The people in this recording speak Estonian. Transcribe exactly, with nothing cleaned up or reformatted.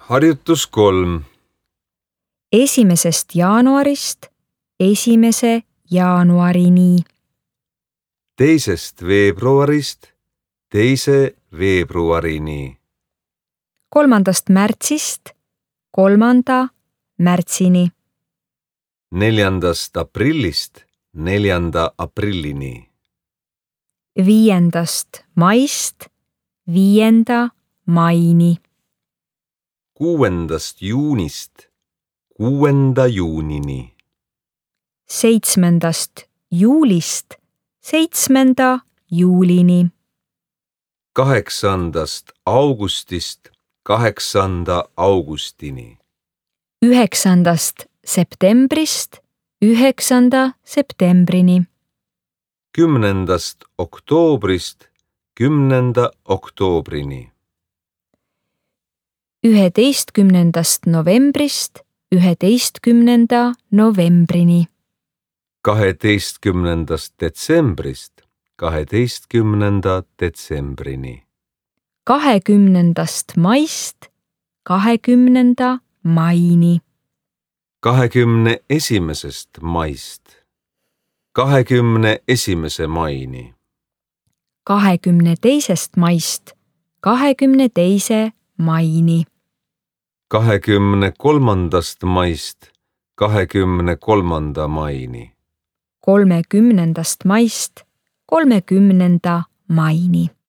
Harjutus kolm. Esimesest jaanuarist esimese jaanuarini. Teisest veebruarist teise veebruarini. Kolmandast märtsist kolmanda märtsini. Neljandast aprillist neljanda aprillini. Viiendast maist viienda maini. Kuuendast juunist kuuenda juunini. Seitsmendast juulist seitsmenda juulini. Kaheksandast augustist kaheksanda augustini. Üheksandast septembrist üheksanda septembrini. Kümnendast oktoobrist kümnenda oktoobrini. Üheteistkümnendast novembrist üheteistkümnenda novembrini. Kaheteistkümnendast detsembrist kaheteistkümnenda detsembrini. Kahekümnendast maist kahekümnenda maini. Kahekümne esimesest maist kahekümne esimese maini. Kahekümne teisest maist kahekümne teise maini. Kahekümne kolmandast maist kahekümne kolmanda maini. Kolmekümnendast maist kolmekümnenda maini.